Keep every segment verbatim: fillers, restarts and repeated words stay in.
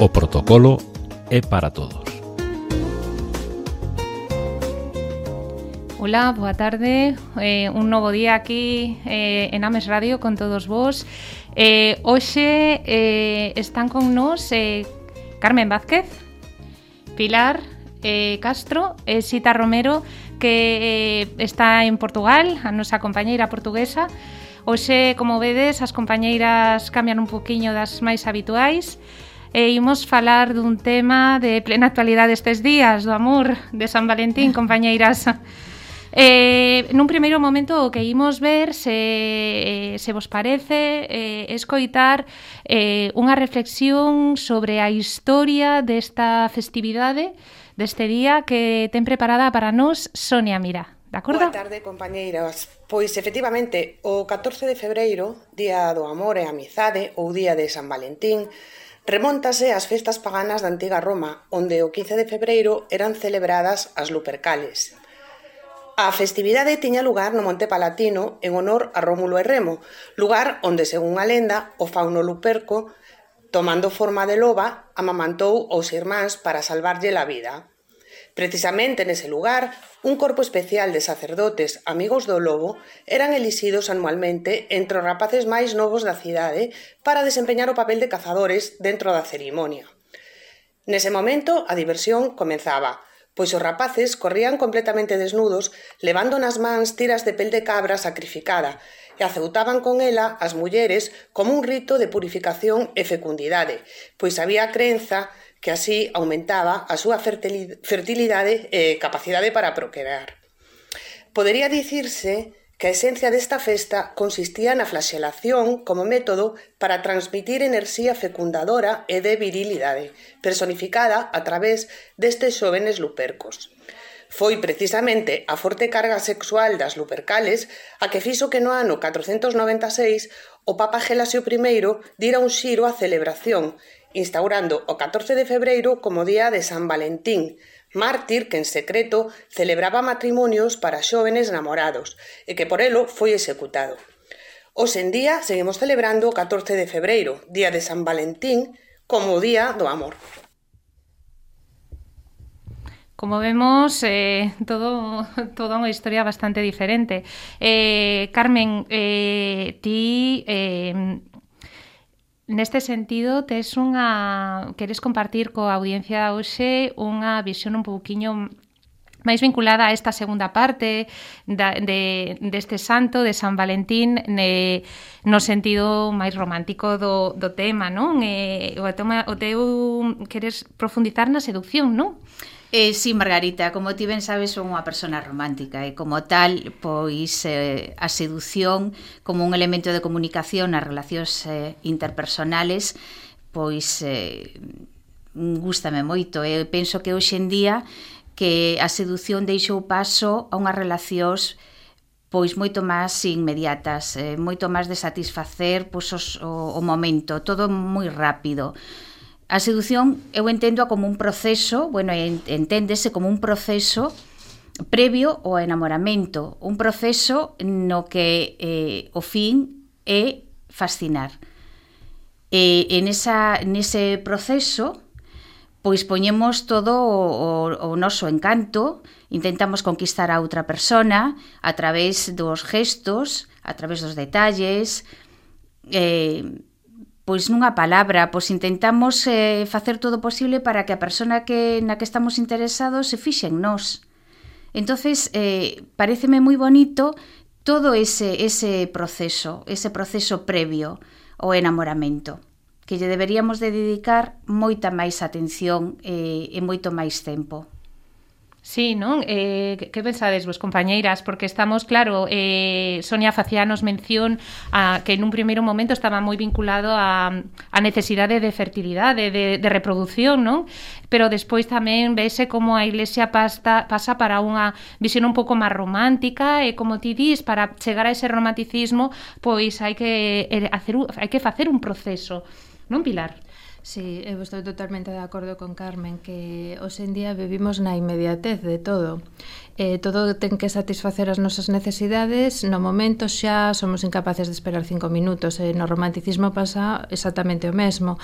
O protocolo é para todos. Hola, boa tarde. Eh, un novo día aquí eh, en Ames Radio con todos vos. Eh, hoxe eh, están con nós eh, Carmen Vázquez, Pilar eh, Castro e Sita Romero, que eh, está en Portugal, a nosa compañeira portuguesa. Hoxe, como vedes, as compañeiras cambian un poquinho das máis habituais. E imos falar dun tema de plena actualidade estes días, do amor de San Valentín, compañeiras. Eh, nun primeiro momento o que imos ver, se, se vos parece, eh, escoitar eh, unha reflexión sobre a historia desta festividade, deste día que ten preparada para nós Sonia Mira. De acordo? Boa tarde, compañeiras. Pois, efectivamente, o catorce de febreiro, Día do Amor e Amizade, ou Día de San Valentín, remóntase ás festas paganas da antiga Roma, onde o quince de febreiro eran celebradas as Lupercales. A festividade tiña lugar no Monte Palatino en honor a Rómulo e Remo, lugar onde, según a lenda, o fauno Luperco, tomando forma de loba, amamantou aos irmáns para salvarlle a vida. Precisamente nese lugar, un corpo especial de sacerdotes amigos do lobo eran elixidos anualmente entre os rapaces máis novos da cidade para desempeñar o papel de cazadores dentro da cerimonia. Nese momento, a diversión comenzaba, pois os rapaces corrían completamente desnudos, levando nas mans tiras de pel de cabra sacrificada e aceutaban con ela as mulleres como un rito de purificación e fecundidade, pois había a crenza que así aumentaba a súa fertilidade e capacidade para procrear. Podería dicirse que a esencia desta festa consistía na flaxelación como método para transmitir enerxía fecundadora e de virilidade, personificada a través destes xóvenes lupercos. Foi precisamente a forte carga sexual das Lupercales a que fixo que no ano catrocentos noventa e seis o Papa Gelasio primeiro dira un xiro á celebración, instaurando o catorce de febreiro como Día de San Valentín, mártir que en secreto celebraba matrimonios para xóvenes namorados e que por elo foi executado. Hoxe en día seguimos celebrando o catorce de febreiro, Día de San Valentín, como Día do Amor. Como vemos, eh, todo, toda unha historia bastante diferente. Eh, Carmen, eh, ti... Eh, Neste sentido, tes unha queres compartir coa audiencia hoxe unha visión un pouquiño máis vinculada a esta segunda parte da, de, deste santo de San Valentín ne, no sentido máis romántico do, do tema, non? E, o, toma, o teu queres profundizar na seducción, non? Eh, sí, Margarita, como ti ben sabes, son unha persona romántica e como tal, pois eh, a seducción como un elemento de comunicación nas relacións eh, interpersonales, pois eh, gústame moito. E penso que hoxe en día que a seducción deixou paso a unhas relacións pois moito máis inmediatas, eh, moito máis de satisfacer pois, os, o, o momento, todo moi rápido. A sedución eu entendo como un proceso, bueno, enténdese como un proceso previo ao enamoramento, un proceso no que eh, o fin é fascinar. E en esa, nese proceso, pois poñemos todo o, o, o noso encanto, intentamos conquistar a outra persona a través dos gestos, a través dos detalles, eh, pois nunha palabra, pois intentamos eh, facer todo o posible para que a persona que na que estamos interesados se fixe en nós. Entonces, eh, paréceme moi bonito todo ese, ese proceso, ese proceso previo ao enamoramento, que lle deberíamos de dedicar moita máis atención eh, e moito máis tempo. Sí, non? Eh, que pensades vos, compañeiras? Porque estamos, claro, eh, Sonia facíanos mención a que nun primeiro momento estaba moi vinculado a, a necesidade de fertilidade, de, de reproducción, non? Pero despois tamén vese como a Iglesia pasta, pasa para unha visión un pouco máis romántica e, como ti dis, para chegar a ese romanticismo, pois hai que, hacer, hai que facer un proceso, non, Pilar? Sí, eu estou totalmente de acordo con Carmen que hoxe en día vivimos na inmediatez de todo. Eh, todo ten que satisfacer as nosas necesidades, no momento xa somos incapaces de esperar cinco minutos, e no romanticismo pasa exactamente o mesmo.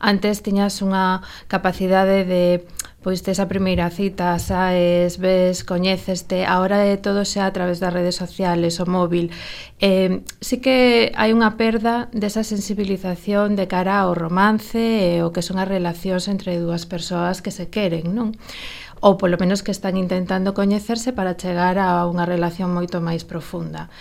Antes tiñas unha capacidade de, pois, tes a primeira cita, saes, ves, coñéceste, agora é todo xa a través das redes sociales, o móvil. Eh, sí que hai unha perda desa sensibilización de cara ao romance e o que son as relacións entre dúas persoas que se queren, non? Ou polo menos que están intentando coñecerse para chegar a unha relación moito máis profunda.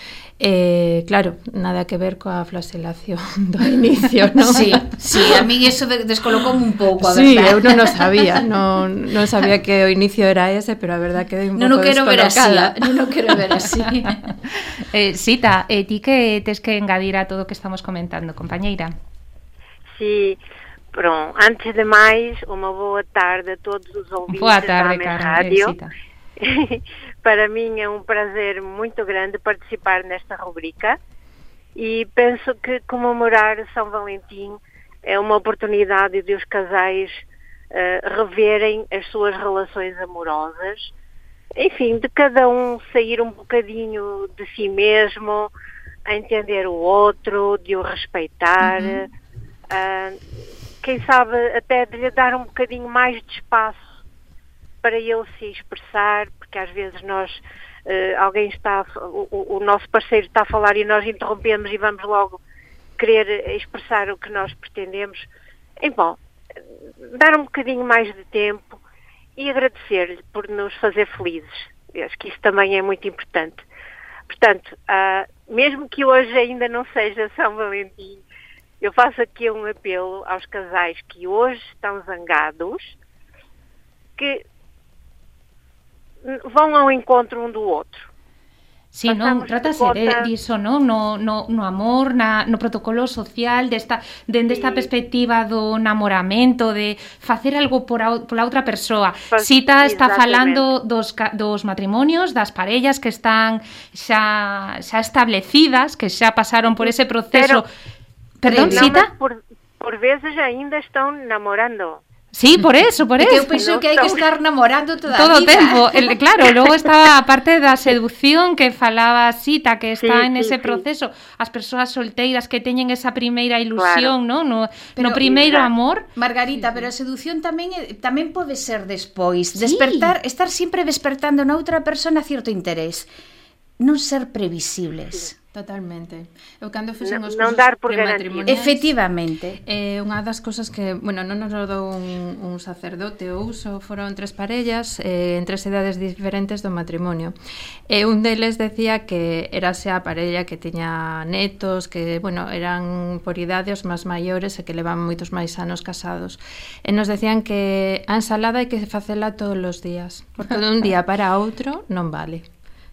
Eh, claro, nada que ver coa flaxelación do inicio, non? Sí, sí, a mí eso descolocoume un pouco, a sí, verdad. Sí, eu non o sabía, non, non sabía que o inicio era ese, pero a verdad que un non pouco quero ver así, descolocada. non o quero ver así. eh, Sita, eh, ti que tes que engadir a todo o que estamos comentando, compañeira? Sí, pronto, antes de máis, unha boa tarde a todos os ouvintes boa tarde, da Carmen, Radio. Sita. Para min é un prazer muito grande participar nesta rubrica e penso que comemorar São Valentim é uma oportunidade de os casais uh, reverem as suas relações amorosas, enfim, de cada um sair um bocadinho de si mesmo, a entender o outro, de o respeitar, uhum. uh, quem sabe até de lhe dar um bocadinho mais de espaço para ele se expressar, porque às vezes nós, uh, alguém está, o, o nosso parceiro está a falar e nós interrompemos e vamos logo querer expressar o que nós pretendemos. Então, dar um bocadinho mais de tempo e agradecer-lhe por nos fazer felizes. Eu acho que isso também é muito importante. Portanto, uh, mesmo que hoje ainda não seja São Valentim, eu faço aqui um apelo aos casais que hoje estão zangados, que vão ao encontro um do outro. Sí, non, trátase de diso, non? No, no, no amor, na, no protocolo social, desta, dende esta sí. perspectiva do namoramento, de facer algo por a, pola outra persoa. Pues, Sita está falando dos, dos matrimonios, das parellas que están xa, xa establecidas, que xa pasaron por ese proceso. Pero, Perdón, no, Sita? Por, por veces ainda están namorando. Sí, por eso, por eso. Que eu penso que hai que estar namorando toda todo a vida. Todo o tempo. El, claro, logo está a parte da seducción que falaba Sita, que está sí, en ese sí, proceso. Sí. As persoas solteiras que teñen esa primeira ilusión, claro. ¿no? No, pero, no primeiro exacto. amor. Margarita, sí, pero a seducción tamén tamén pode ser despois. Sí. Despertar, estar sempre despertando na outra persona cierto interés. Non ser previsibles. Sí. Totalmente. Eu cando fixen os non dar por garantía. Efectivamente. Eh, unha das cousas que, bueno, non nos dou un, un sacerdote ou uso, foron tres parellas eh, en tres edades diferentes do matrimonio. E eh, un deles decía que era xa a parella que tiña netos, que, bueno, eran por idade os máis maiores e que levan moitos máis anos casados. E nos decían que a ensalada hai que facela todos os días, porque de un día para outro non vale.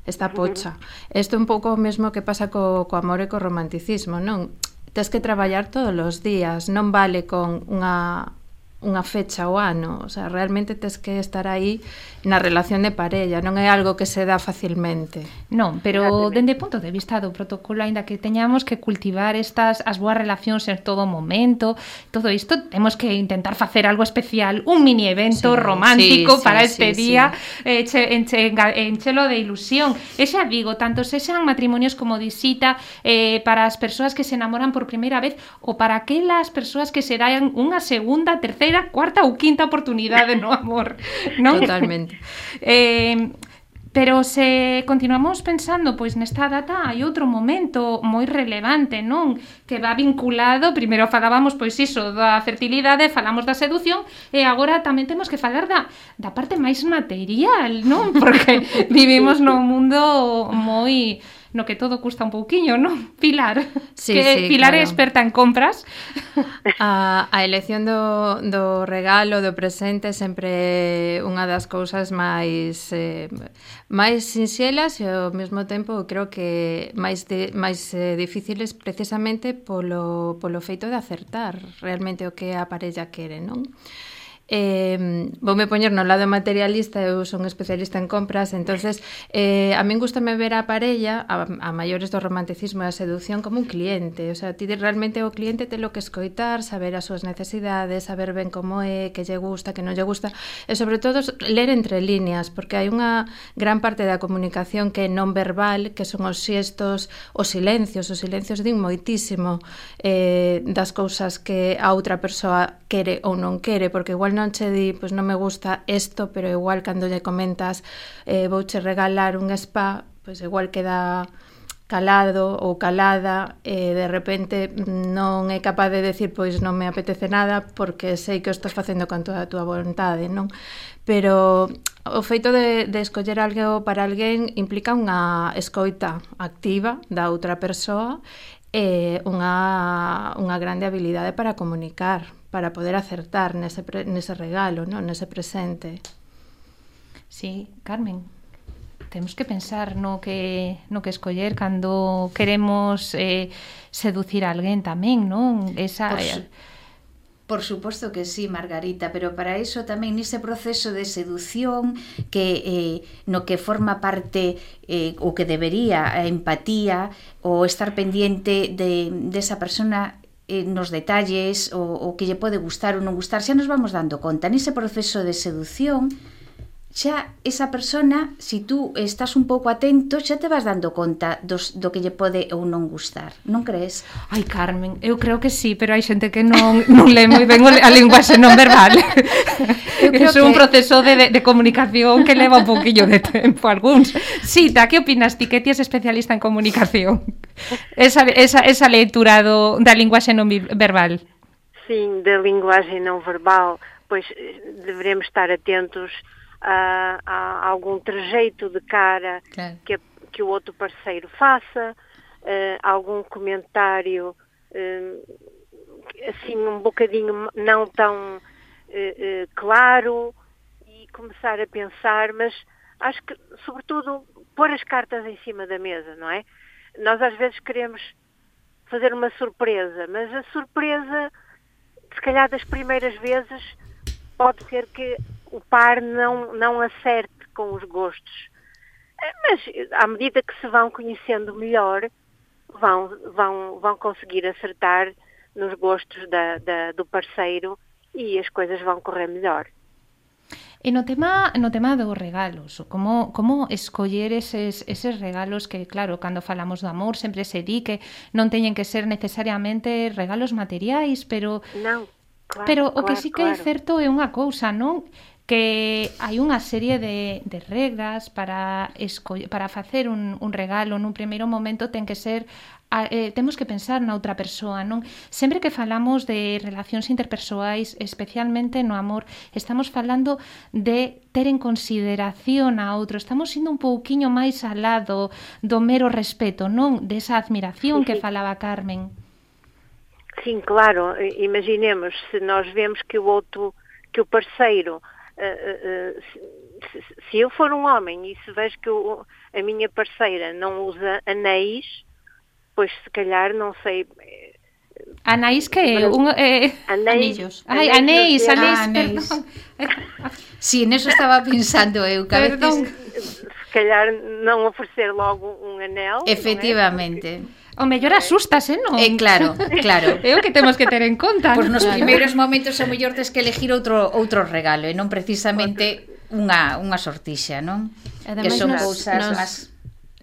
Está pocha. Isto é un pouco o mesmo que pasa co, co amor e co romanticismo, non? Tes que traballar todos os días, non vale con unha, unha fecha ao ano, o sea, realmente tes que estar aí na relación de parella, non é algo que se dá facilmente. Non, pero dende o punto de vista do protocolo, aínda que teñamos que cultivar estas as boas relacións en todo momento, todo isto temos que intentar facer algo especial, un mini evento sí, romántico sí, para sí, este sí, día, sí. Eh, che, enche, enchelo de ilusión. E xa digo, tanto se sean matrimonios como disita, eh, para as persoas que se enamoran por primeira vez ou para aquelas persoas que se dan unha segunda, terceira, cuarta ou quinta oportunidade no amor, non? Totalmente. Eh, pero se continuamos pensando, pois nesta data hai outro momento moi relevante, non? Que va vinculado, primeiro falábamos pois iso da fertilidade, falamos da seducción e agora tamén temos que falar da, da parte máis material, non? Porque vivimos num mundo moi no que todo custa un pouquiño, non? Pilar, sí, que sí, Pilar claro. é experta en compras. A, a elección do, do regalo, do presente, sempre unha das cousas máis eh, máis sinxelas e ao mesmo tempo creo que máis de, máis eh, difíciles precisamente polo, polo feito de acertar realmente o que a parella quere, non? Eh, voume poñer no lado materialista, eu son especialista en compras, entonces eh, a min gustame ver a parella, a, a maiores do romanticismo e a seducción, como un cliente. O sea, ti realmente o cliente telo que escoitar, saber as súas necesidades, saber ben como é, que lle gusta, que non lle gusta, e sobre todo ler entre líneas, porque hai unha gran parte da comunicación que é non verbal, que son os xestos, os silencios, os silencios din moitísimo eh, das cousas que a outra persoa quere ou non quere, porque igual non che di, pois non me gusta isto, pero igual cando lle comentas eh, vouche regalar un spa, pois igual queda calado ou calada e de repente non é capaz de decir pois non me apetece nada porque sei que o estás facendo con toda a túa vontade, non? Pero o feito de, de escoller algo para alguén implica unha escoita activa da outra persoa e unha, unha grande habilidade para comunicar, para poder acertar nese, pre, nese regalo, ¿no? Nese presente. Sí, Carmen, temos que pensar no que, no que escoller cando queremos eh, seducir a alguén tamén, non? Esa... Por, su, por suposto que sí, Margarita, pero para iso tamén nese proceso de seducción que eh, no que forma parte eh, o que debería a empatía ou estar pendiente de, de esa persona nos detalles, o, o que lle pode gustar ou non gustar, xa nos vamos dando conta. Nese proceso de seducción, xa esa persona, se si tú estás un pouco atento, xa te vas dando conta dos, do que lle pode ou non gustar, non crees? Ai, Carmen, eu creo que sí, pero hai xente que non, non lee moi ben a linguaxe non verbal. Eu creo que é un proceso de, de, de comunicación que leva un pouquillo de tempo algúns. Sita, que opinas ti, que ti es especialista en comunicación? Esa, esa, esa lectura do, da linguaxe non verbal. Sim, da linguagem não verbal, pois deveremos estar atentos a, a algum trejeito de cara claro. que, que o outro parceiro faça, uh, algum comentário uh, assim um bocadinho não tão uh, uh, claro, e começar a pensar, mas acho que sobretudo pôr as cartas em cima da mesa, não é? Nós às vezes queremos fazer uma surpresa, mas a surpresa, se calhar das primeiras vezes, pode ser que o par não, não acerte com os gostos. Mas à medida que se vão conhecendo melhor, vão, vão, vão conseguir acertar nos gostos da, da, do parceiro e as coisas vão correr melhor. E no tema, no tema dos regalos, como, como escoller eses, eses regalos que, claro, cando falamos do amor sempre se di que non teñen que ser necesariamente regalos materiais, pero... Non, claro, pero o que claro, sí que claro. é certo é unha cousa, non? Que hai unha serie de, de regras para, escoller, para facer un, un regalo nun primeiro momento ten que ser... Eh, temos que pensar na outra persoa, non? Sempre que falamos de relacións interpersoais, especialmente no amor, estamos falando de ter en consideración a outro, estamos indo un pouquiño máis alá do, do mero respeto, non? Desa admiración que falaba Carmen. Sim, claro, imaginemos, se nós vemos que o outro, que o parceiro, uh, uh, se, se eu for um homem e se vejo que o, a minha parceira não usa anéis, pois se calhar, non sei... Anéis que? Un, eh... Anillos. Ai, anéis, anéis, ah, anéis. Sí, neso estaba pensando eu, que a veces... Se calhar non ofrecer logo un anel. Efectivamente. O mellor asustas, eh, non? Eh, claro, claro. É o que temos que ter en conta. Pois nos claro. primeiros momentos o mellor tes que elegir outro outro regalo e non precisamente unha, unha sortixa, non? Ademais, que son nos, cousas nos... máis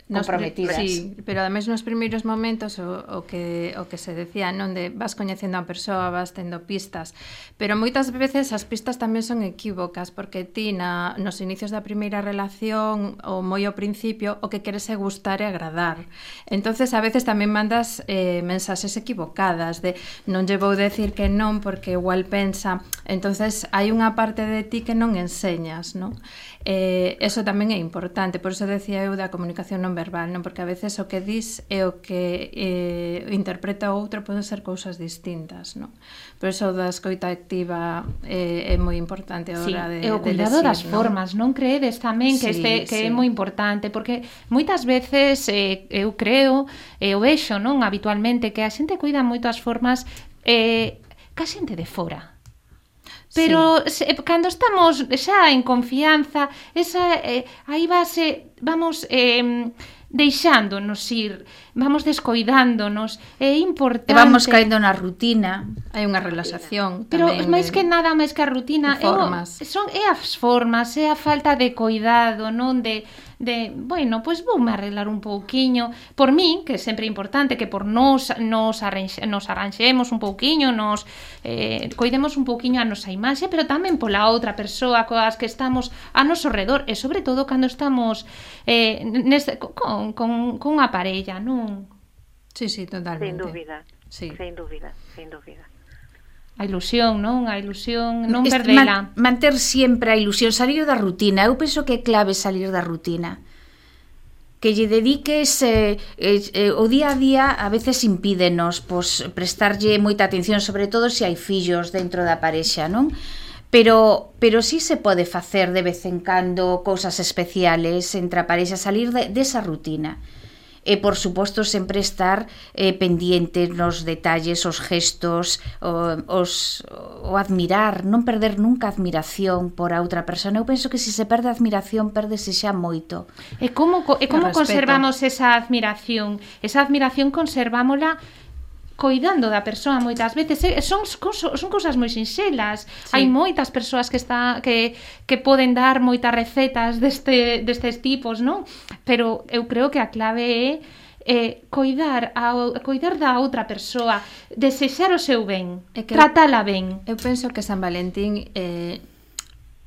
comprometidas. Sí, pero ademais nos primeiros momentos o, o que o que se decía, non, de vas coñecendo a persoa, vas tendo pistas, pero moitas veces as pistas tamén son equívocas, porque ti na, nos inicios da primeira relación ou moi ao principio o que queres é gustar e agradar. Entonces a veces tamén mandas eh, mensaxes equivocadas de non lle vou decir que non porque igual pensa, entonces hai unha parte de ti que non enseñas, non? Eh, eso tamén é importante, por iso decía eu da comunicación non verbal, non? Porque a veces o que dis e o que eh, interpreta o outro poden ser cousas distintas, non? Por iso da escoita activa eh, é moi importante a hora sí, de, e o cuidado de decir, das non? formas, non creedes tamén que, sí, este, que sí. é moi importante, porque moitas veces eh, eu creo, e eu vexo, non, habitualmente, que a xente cuida moito as formas eh, ca xente de fora. pero sí. se, cando estamos xa en confianza, esa eh, aí vase, vamos eh, deixándonos ir, vamos descoidándonos, é importante. E vamos caendo na rutina. Hai unha relaxación pero tamén. máis de, que nada, máis que a rutina, é, o, son, é as formas, é a falta de coidado, non de, de bueno, pois pues voume arreglar un pouquiño, por min, que é sempre importante que por nos nos, arranxe, nos arranxemos un pouquiño, nos eh, coidemos un pouquiño a nosa imaxe, pero tamén pola outra persoa coas que estamos a noso redor, e sobre todo cando estamos eh, neste, con, con, con unha parella, non? Sí, sí, totalmente. Sin dúbida, sí. sin dúbida, sin dúbida. A ilusión, non? A ilusión, non Este, perdela. Man, manter sempre a ilusión, salir da rutina. Eu penso que é clave salir da rutina. Que lle dediques eh, eh, o día a día a veces impídenos pois, prestarlle moita atención, sobre todo se hai fillos dentro da parexa, non? Pero, pero sí se pode facer de vez en cando cousas especiales entre a parexa, salir de, desa rutina. E, por suposto, sempre estar eh, pendientes nos detalles, os gestos, o, os, o admirar, non perder nunca a admiración por a outra persona. Eu penso que se se perde a admiración, perdese xa moito. E como, e como conservamos esa admiración? Esa admiración conservámola coidando da persoa moitas veces, son, son cousas moi sinxelas. Sí. Hai moitas persoas que está que, que poden dar moitas recetas deste, destes tipos, non? Pero eu creo que a clave é eh, coidar, a, coidar da outra persoa, desexar o seu ben, é que tratala ben. Eu penso que San Valentín eh,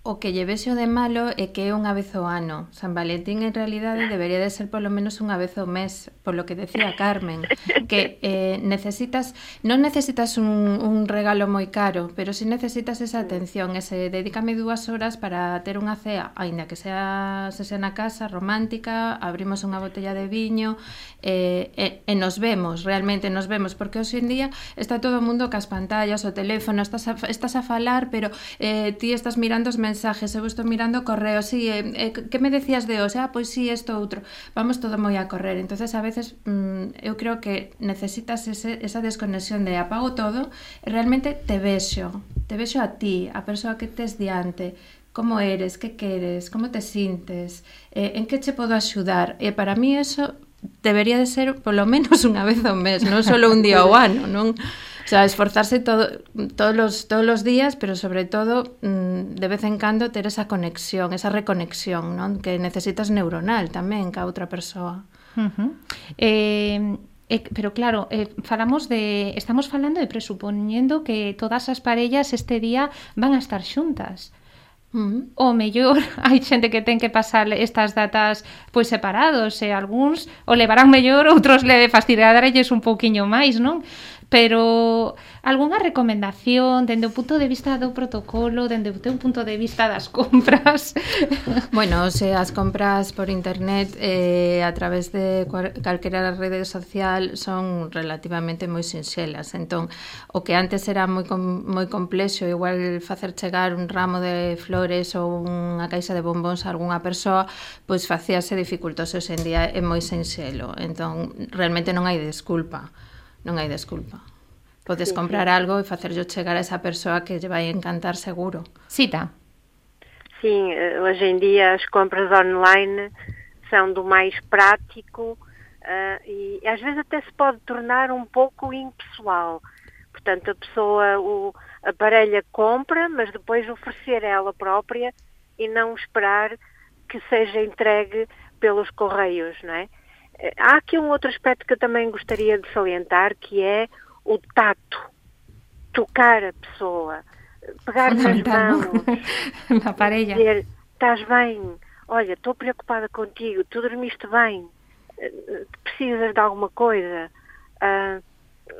o que lle vexo de malo é que é unha vez ao ano. San Valentín en realidade debería de ser polo menos unha vez ao mes, polo que decía Carmen, que eh, necesitas, non necesitas un, un regalo moi caro, pero si necesitas esa atención, ese dedícame dúas horas para ter unha cea, aínda que sea, se sea na casa, romántica, abrimos unha botella de viño, eh, e, e nos vemos, realmente nos vemos, porque hoxe en día está todo o mundo cas pantallas, o teléfono, estás a, estás a falar, pero eh, ti estás mirando os mensajes, eu estou mirando correo, sí, eh, eh, que me decías de hoxe? Ah, pois sí, isto outro. Vamos todo moi a correr. Entonces, a veces, mm, eu creo que necesitas ese, esa desconexión de apago todo e realmente te vexo, te vexo a ti, a persoa que tes diante, como eres, que queres, como te sintes, eh, en que che podo axudar. E para mí eso debería de ser polo menos unha vez ao mes, non só un día ao ano, non? O sea, esforzarse todo, todos, los, todos los días, pero sobre todo de vez en cando ter esa conexión, esa reconexión, non? Que necesitas neuronal tamén ca outra persoa. Uh-huh. Eh, eh, pero claro, eh, falamos de, estamos falando de presuponiendo que todas as parellas este día van a estar xuntas. Uh-huh. O mellor hai xente que ten que pasar estas datas pois separados, e algúns o levarán mellor, outros le fastidiaralles un pouquiño máis, non? Pero algunha recomendación dende o punto de vista do protocolo, dende o teu punto de vista das compras? Bueno, se as compras por internet eh, a través de calquera rede social son relativamente moi sinxelas. Entón, o que antes era moi, com, moi complexo, igual facer chegar un ramo de flores ou unha caixa de bombóns a algunha persoa, pois facíase dificultoso. Hoxe en día é moi sinxelo. Entón, realmente non hai desculpa. Non hai desculpa. Podes sí, comprar sí. algo e facerlo chegar a esa persoa que lle vai encantar seguro. Cita. Sim, hoje em dia as compras online são do mais prático uh, e às vezes até se pode tornar um pouco impessoal. Portanto, a pessoa, o, a parelha compra, mas depois oferecer ela própria e não esperar que seja entregue pelos correios, não é? Há aqui um outro aspecto que eu também gostaria de salientar, que é o tato, tocar a pessoa, pegar nas mãos, na parelha, dizer, estás bem, olha, estou preocupada contigo, tu dormiste bem, precisas de alguma coisa, uh,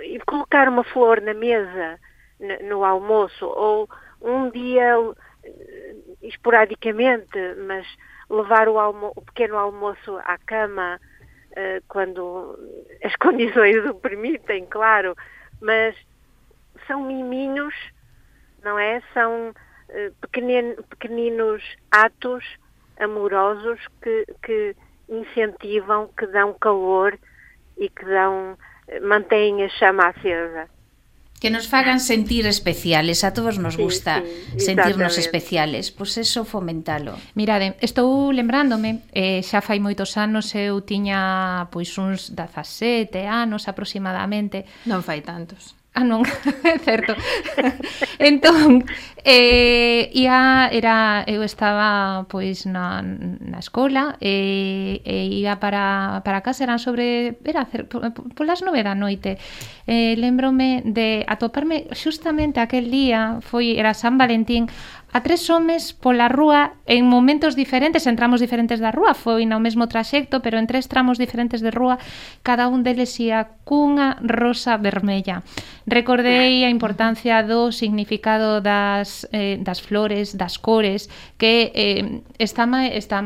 e colocar uma flor na mesa, no, no almoço, ou um dia, esporadicamente, mas levar o, almo- o pequeno almoço à cama, Uh, quando as condições o permitem, claro, mas são miminhos, não é? São uh, pequenin, pequeninos atos amorosos que, que incentivam, que dão calor e que dão, mantêm a chama acesa. Que nos fagan sentir especiales, a todos nos gusta sí, sí, sentirnos especiales, pois pues eso fomentalo. Mirade, estou lembrándome, eh, xa fai moitos anos eu tiña pois uns dezasete anos aproximadamente. Non fai tantos. Ah, non, é certo. Entón, eh, ia, era, eu estaba pois na, na escola e, e ia para, para casa, eran sobre, era polas nove da noite. Eh, lembrome de atoparme xustamente aquel día, foi, era San Valentín, a tres homes pola rúa en momentos diferentes, en tramos diferentes da rúa, foi no mesmo traxecto, pero en tres tramos diferentes de rúa, cada un deles ia cunha rosa vermella. Recordei a importancia do significado das, eh, das flores, das cores, que eh, está, está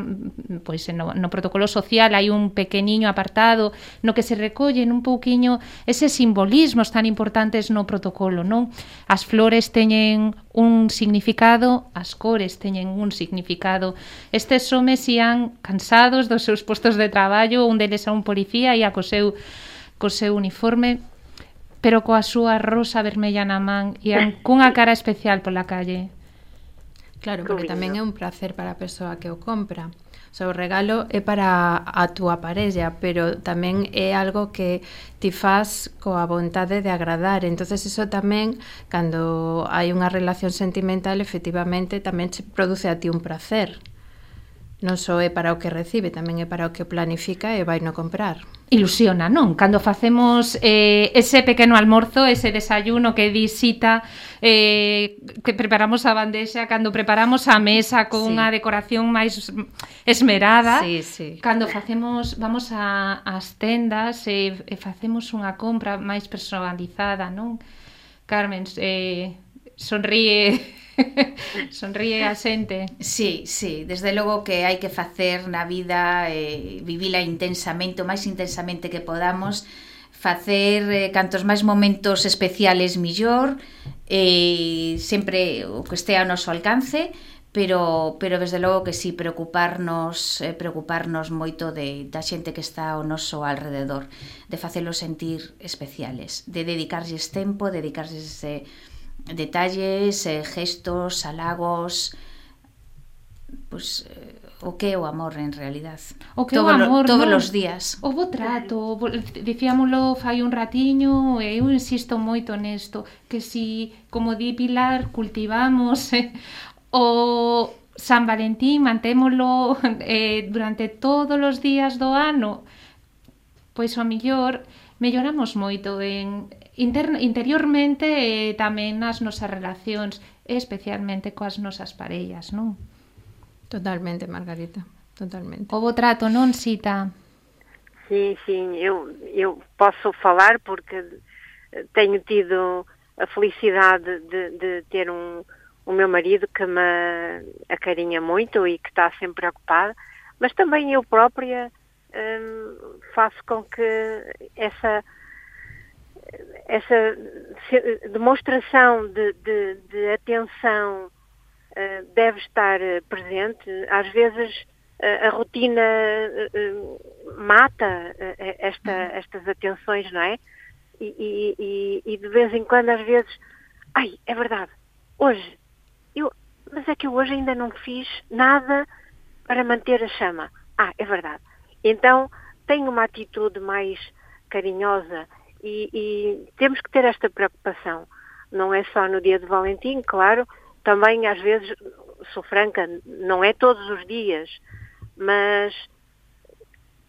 pois, no, no protocolo social hai un pequeniño apartado no que se recollen un pouquiño eses simbolismos tan importantes no protocolo, non? As flores teñen un significado, as cores teñen un significado. Estes homes ían cansados dos seus postos de traballo, un deles a un policía, ia co seu, co seu uniforme, pero coa súa rosa vermella na man, ían cunha cara especial pola calle. Claro, porque tamén é un placer para a persoa que o compra. O sea, o regalo é para a túa parella, pero tamén é algo que ti faz coa vontade de agradar. Entonces eso tamén, cando hai unha relación sentimental, efectivamente tamén se produce a ti un placer. Non só é para o que recibe, tamén é para o que planifica e vai no comprar. Ilusiona, non? Cando facemos eh, ese pequeno almorzo, ese desayuno que di Sita, eh, que preparamos a bandexa, cando preparamos a mesa con sí. unha decoración máis esmerada, sí, sí. Cando facemos, vamos a, as tendas e, e facemos unha compra máis personalizada, non? Carmen, eh, sonríe... Sonríe a xente. Sí, sí, desde logo que hai que facer na vida, eh, vivila intensamente, o máis intensamente que podamos, facer eh, cantos máis momentos especiales millor, eh, sempre o que estea ao noso alcance, pero pero desde logo que sí, preocuparnos, eh, preocuparnos moito de da xente que está ao noso alrededor, de facelos sentir especiales, de dedicarlles tempo, dedicarlles eh, detalles, eh, gestos, halagos, pues eh, o que é o amor en realidad. O que é o amor, todos non? Os días. O bo trato, dicíamolo fai un ratiño, e eu insisto moito nesto, que si, como di Pilar, cultivamos eh, o San Valentín, mantémolo eh, durante todos os días do ano, pois o mellor melloramos moito en Inter- interiormente e eh, tamén nas nosas relacións, especialmente coas nosas parellas, non? Totalmente, Margarita, totalmente. O bo trato, non, Sita? Sim, sim, eu, eu posso falar porque tenho tido a felicidade de, de ter um, o meu marido que me acarinha muito e que está sempre preocupado, mas também eu própria hum, faço com que essa... essa demonstração de, de, de atenção uh, deve estar presente. Às vezes uh, a rotina uh, mata uh, esta, estas atenções, não é? E, e, e de vez em quando, às vezes, ai, é verdade, hoje, eu, mas é que eu hoje ainda não fiz nada para manter a chama. Ah, é verdade. Então, tenho uma atitude mais carinhosa. E, e temos que ter esta preocupação, não é só no dia de Valentim, claro, também às vezes, sou franca, não é todos os dias, mas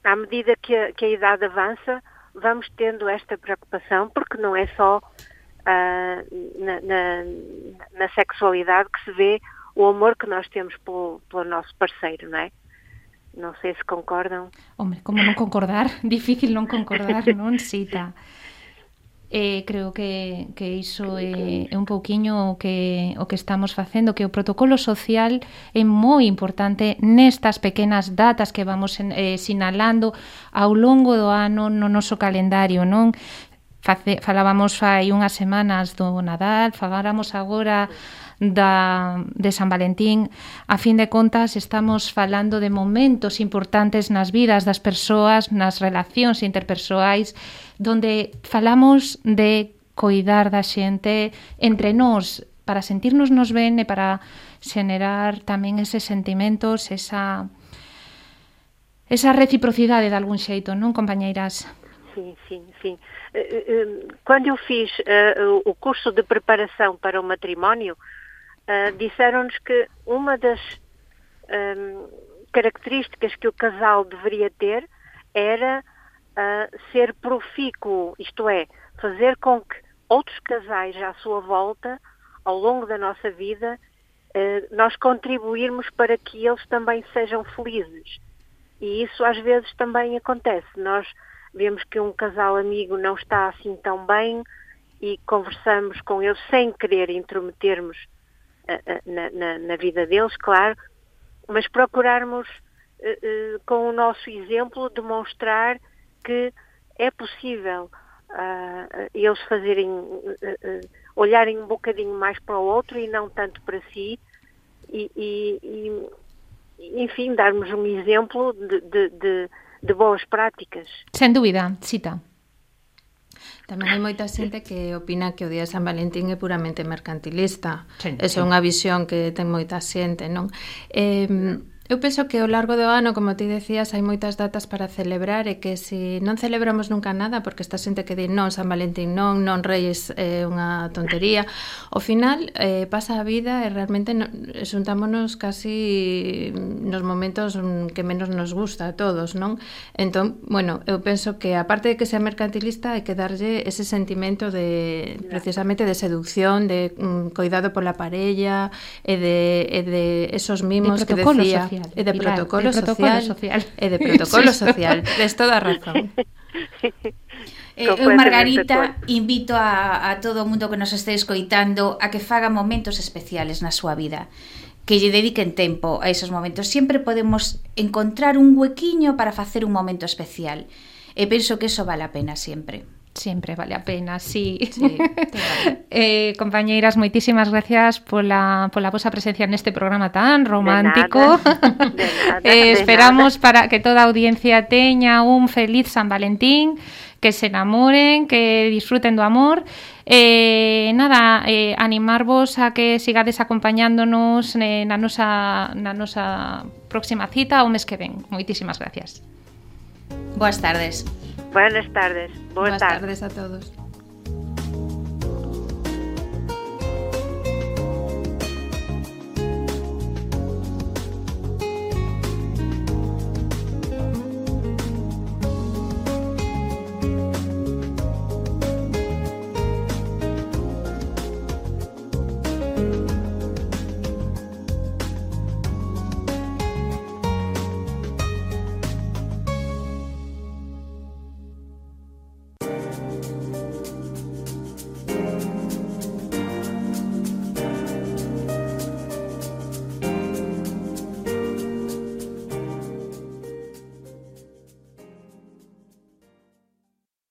à medida que a, que a idade avança, vamos tendo esta preocupação, porque não é só uh, na, na, na sexualidade que se vê o amor que nós temos pelo, pelo nosso parceiro, não é? Non sei se concordam. Hombre, como non concordar? Difícil non concordar, non, Sita? Eh, creo que, que iso é, é un pouquiño o que, o que estamos facendo, que o protocolo social é moi importante nestas pequenas datas que vamos eh, sinalando ao longo do ano no noso calendario, non? Face, falábamos fai unhas semanas do Nadal, faláramos agora da, de San Valentín. A fin de contas, estamos falando de momentos importantes nas vidas das persoas, nas relacións interpersoais, donde falamos de coidar da xente entre nós, para sentirnos nos ben e para xenerar tamén eses sentimentos, esa esa reciprocidade de algún xeito, non, compañeiras? Sim, sim, sim. Quando eu fiz uh, o curso de preparação para o matrimónio, uh, disseram-nos que uma das um, características que o casal deveria ter era uh, ser profícuo, isto é, fazer com que outros casais à sua volta, ao longo da nossa vida, uh, nós contribuirmos para que eles também sejam felizes. E isso às vezes também acontece. Nós vemos que um casal amigo não está assim tão bem e conversamos com eles sem querer intrometermos uh, uh, na, na, na vida deles, claro, mas procurarmos, uh, uh, com o nosso exemplo, demonstrar que é possível uh, eles fazerem, uh, uh, olharem um bocadinho mais para o outro e não tanto para si e, e, e enfim, darmos um exemplo de, de, de, de boas práticas. Sen dúbida, Chita. Tamén hai moita xente que opina que o Día de San Valentín é puramente mercantilista. Sí, Esa é unha visión que ten moita xente, non? Eh, eu penso que ao largo do ano, como ti decías, hai moitas datas para celebrar e que se non celebramos nunca nada, porque esta xente que di non, San Valentín non, non Reyes é eh, unha tontería, ao final eh, pasa a vida e realmente no, xuntámonos casi nos momentos que menos nos gusta a todos, non? Entón, bueno, eu penso que aparte de que sea mercantilista hai que darlle ese sentimento de, precisamente, de seducción, de um, cuidado pola parella e de, e de esos mimos que decía social. E de Pilar, protocolo, de protocolo social, social. E de protocolo social. Tes toda a razón. Eh, eu, Margarita, invito a, a todo o mundo que nos este escoitando a que faga momentos especiales na súa vida, que lle dediquen tempo a esos momentos. Sempre podemos encontrar un huequiño para facer un momento especial. E penso que eso vale a pena sempre. Sempre vale a pena, sí. Sí, vale. eh, compañeiras, moitísimas gracias pola, pola vosa presencia neste programa tan romántico. De nada, de nada, eh, de esperamos nada. para que toda a audiencia teña un feliz San Valentín, que se enamoren, que disfruten do amor. Eh, nada, eh, animarvos a que sigades acompañándonos eh, na, nosa, na nosa próxima cita o mes que ven. Moitísimas gracias. Boas tardes. Buenas tardes. Boa Boas tarde. tardes a todos.